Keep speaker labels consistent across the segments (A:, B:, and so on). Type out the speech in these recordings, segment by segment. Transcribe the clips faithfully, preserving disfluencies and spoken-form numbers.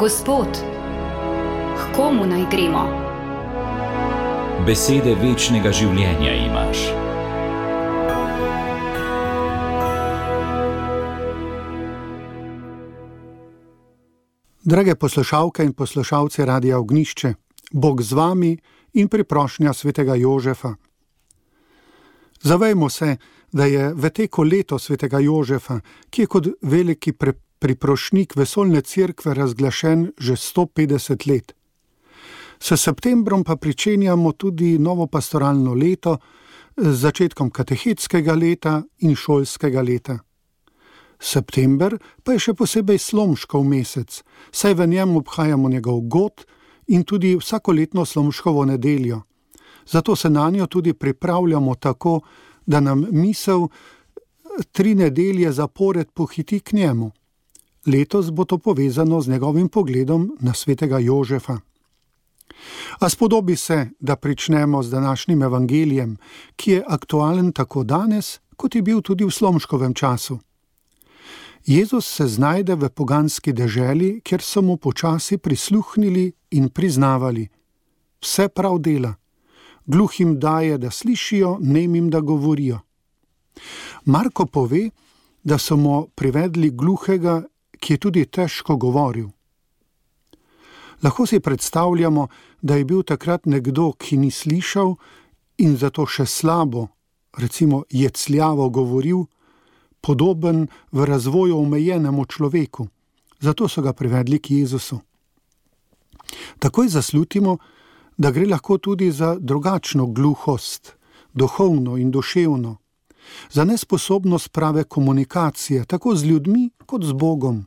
A: Gospod, k komu naj gremo?
B: Besede večnega življenja imaš.
C: Drage poslušalke in poslušalci Radia Ognjišče, Bog z vami in priprošnja svetega Jožefa. Zavejmo se, da je v teku leto svetega Jožefa, ki je kot veliki pre, priprošnik vesoljne cerkve razglašen že sto petdeset let. S septembrom pa pričenjamo tudi novo pastoralno leto z začetkom katehetskega leta in šolskega leta. September pa je še posebej slomškov mesec, saj v njem obhajamo njegov god in tudi vsakoletno slomškovo nedeljo. Zato se na njo tudi pripravljamo tako, da nam misel tri nedelje zapored pohiti k njemu. Letos bo to povezano z njegovim pogledom na svetega Jožefa. A spodobi se, da pričnemo z današnjim evangelijem, ki je aktualen tako danes, kot je bil tudi v slomškovem času. Jezus se znajde v poganski deželi, kjer so mu počasi prisluhnili in priznavali. Vse prav dela. Gluhim daje, da slišijo, nemim, da govorijo. Marko pove, da so mu privedli gluhega, ki je tudi težko govoril. Lahko si predstavljamo, da je bil takrat nekdo, ki ni slišal in zato še slabo, recimo jecljavo govoril, podoben v razvoju omejenemu človeku. Zato so ga privedli k Jezusu. Takoj zaslutimo, da gre lahko tudi za drugačno gluhost, duhovno in duševno, za nesposobnost prave komunikacije, tako z ljudmi kot z Bogom,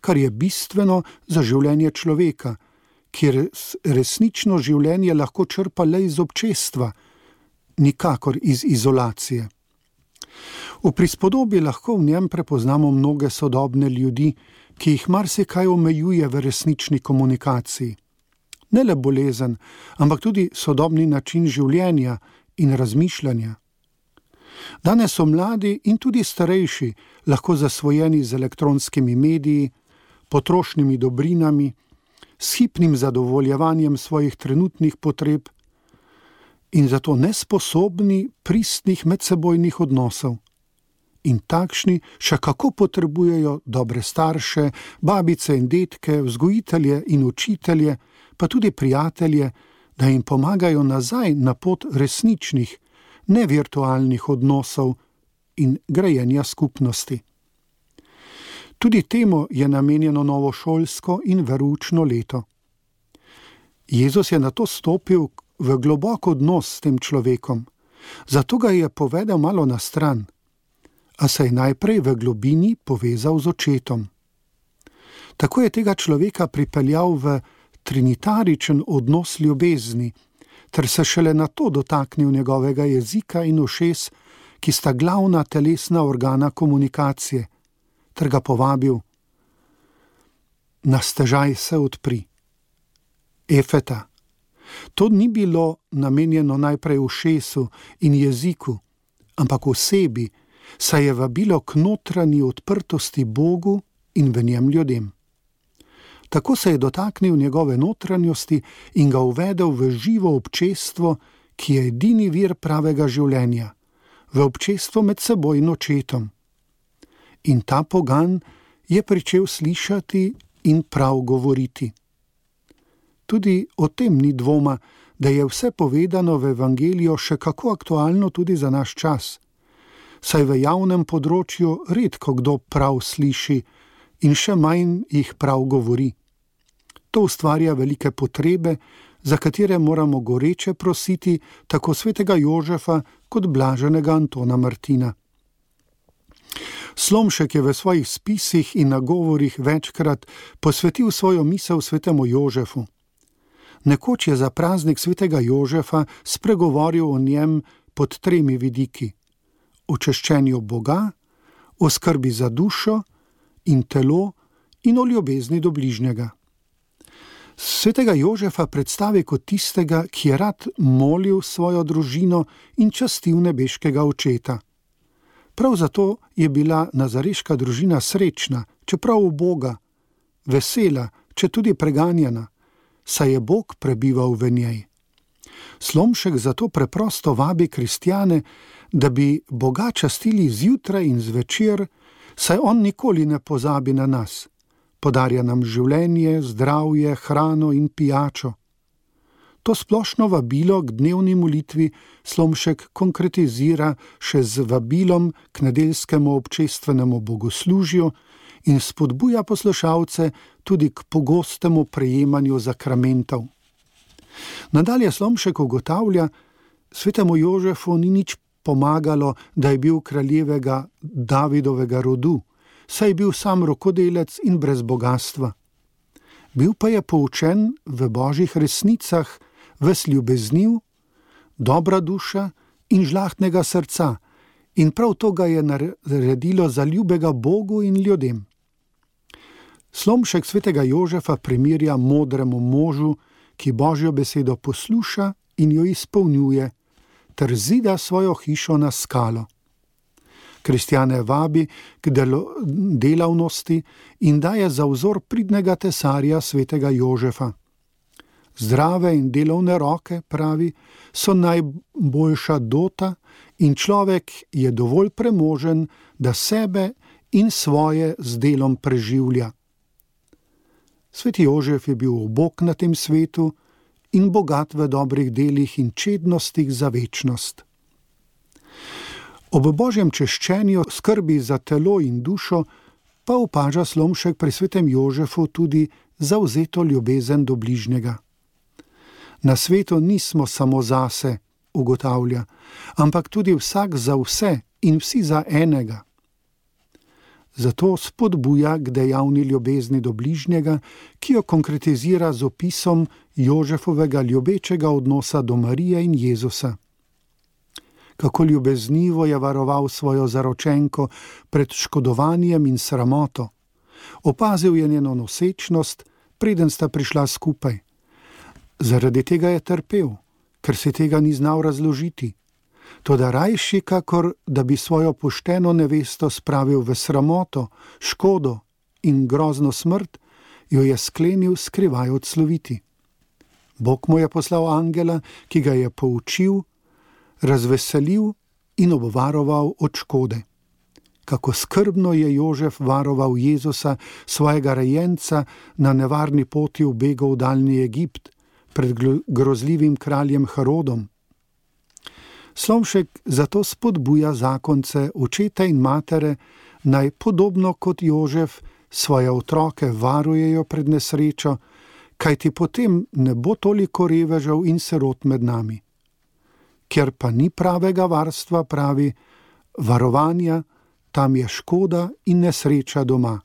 C: kar je bistveno za življenje človeka, kjer resnično življenje lahko črpa le iz občestva, nikakor iz izolacije. V prispodobi lahko v njem prepoznamo mnoge sodobne ljudi, ki jih marsikaj omejuje v resnični komunikaciji. Ne le bolezen, ampak tudi sodobni način življenja in razmišljanja. Danes so mladi in tudi starejši lahko zasvojeni z elektronskimi mediji, potrošnimi dobrinami, s hipnim zadovoljevanjem svojih trenutnih potreb in zato nesposobni pristnih medsebojnih odnosov. In takšni še kako potrebujejo dobre starše, babice in detke, vzgojitelje in učitelje, pa tudi prijatelje, da jim pomagajo nazaj na pot resničnih, nevirtualnih odnosov in grajenja skupnosti. Tudi temu je namenjeno novo šolsko in veroučno leto. Jezus je nato stopil v globok odnos s tem človekom, zato ga je povedal malo na stran, a se je najprej v globini povezal z očetom. Tako je tega človeka pripeljal v trinitaričen odnos ljubezni, ter se šele nato dotaknil njegovega jezika in ušes, ki sta glavna telesna organa komunikacije, ter ga povabil: na stežaj se odpri. Efeta. To ni bilo namenjeno najprej ušesu in jeziku, ampak osebi, saj je vabilo k notranji odprtosti Bogu in v njem ljudem. Tako se je dotaknil njegove notranjosti in ga uvedel v živo občestvo, ki je edini vir pravega življenja, v občestvo med seboj in očetom. In ta pogan je pričel slišati in prav govoriti. Tudi o tem ni dvoma, da je vse povedano v evangeliju še kako aktualno tudi za naš čas, saj v javnem področju redko kdo prav sliši in še manj jih prav govori. To ustvarja velike potrebe, za katere moramo goreče prositi tako svetega Jožefa kot blaženega Antona Martina. Slomšek je v svojih spisih in nagovorih večkrat posvetil svojo misel svetemu Jožefu. Nekoč je za praznik svetega Jožefa spregovoril o njem pod tremi vidiki: o češčenju Boga, o skrbi za dušo in telo in o ljubezni do bližnjega. Svetega Jožefa predstavi kot tistega, ki je rad molil svojo družino in častil nebeškega očeta. Prav zato je bila nazareška družina srečna, čeprav uboga, vesela, če tudi preganjena, saj je Bog prebival v njej. Slomšek zato preprosto vabi kristjane, da bi Boga častili zjutraj in zvečer, saj on nikoli ne pozabi na nas. Podarja nam življenje, zdravje, hrano in pijačo. To splošno vabilo k dnevni molitvi Slomšek konkretizira še z vabilom k nedeljskemu občestvenemu bogoslužju in spodbuja poslušalce tudi k pogostemu prejemanju zakramentov. Nadalje Slomšek ugotavlja, svetemu Jožefu ni nič pomagalo, da je bil kraljevega Davidovega rodu, saj je bil sam rokodelec in brez bogastva. Bil pa je poučen v božjih resnicah, ves ljubezniv, dobra duša in žlahtnega srca, in prav to ga je naredilo za ljubega Bogu in ljudem. Slomšek svetega Jožefa primerja modremu možu, ki božjo besedo posluša in jo izpolnjuje, ter zida svojo hišo na skalo. Kristjane vabi k delavnosti in daje za vzor pridnega tesarja svetega Jožefa. Zdrave in delovne roke, pravi, so najboljša dota in človek je dovolj premožen, da sebe in svoje z delom preživlja. Sveti Jožef je bil ubog na tem svetu in bogat v dobrih delih in čednostih za večnost. Ob božjem češčenju, skrbi za telo in dušo, pa opaža Slomšek pri svetem Jožefu tudi zavzeto ljubezen do bližnjega. Na svetu nismo samo zase, ugotavlja, ampak tudi vsak za vse in vsi za enega. Zato spodbuja k dejavni ljubezni do bližnjega, ki jo konkretizira z opisom Jožefovega ljubečega odnosa do Marije in Jezusa. Kako ljubeznivo je varoval svojo zaročenko pred škodovanjem in sramoto. Opazil je njeno nosečnost, preden sta prišla skupaj. Zaradi tega je trpel, ker si tega ni znal razložiti. Toda rajši, kakor da bi svojo pošteno nevesto spravil v sramoto, škodo in grozno smrt, jo je sklenil skrivaj odsloviti. Bog mu je poslal angela, ki ga je poučil, razveselil in obvaroval od škode. Kako skrbno je Jožef varoval Jezusa, svojega rejenca, na nevarni poti v begu v daljni Egipt, pred grozljivim kraljem Herodom. Slomšek zato spodbuja zakonce, očete in matere, naj podobno kot Jožef svoje otroke varujejo pred nesrečo, kajti potem ne bo toliko revežev in sirot med nami. Ker pa ni pravega varstva, pravi, varovanja, tam je škoda in nesreča doma.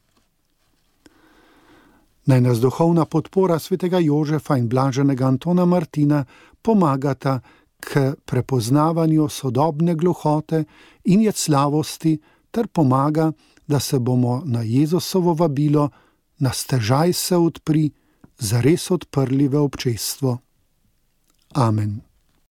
C: Naj nas duhovna podpora svetega Jožefa in blaženega Antona Martina pomagata k prepoznavanju sodobne gluhote in jecljavosti ter pomaga, da se bomo na Jezusovo vabilo na stežaj se odpri zares odprli v občestvo. Amen.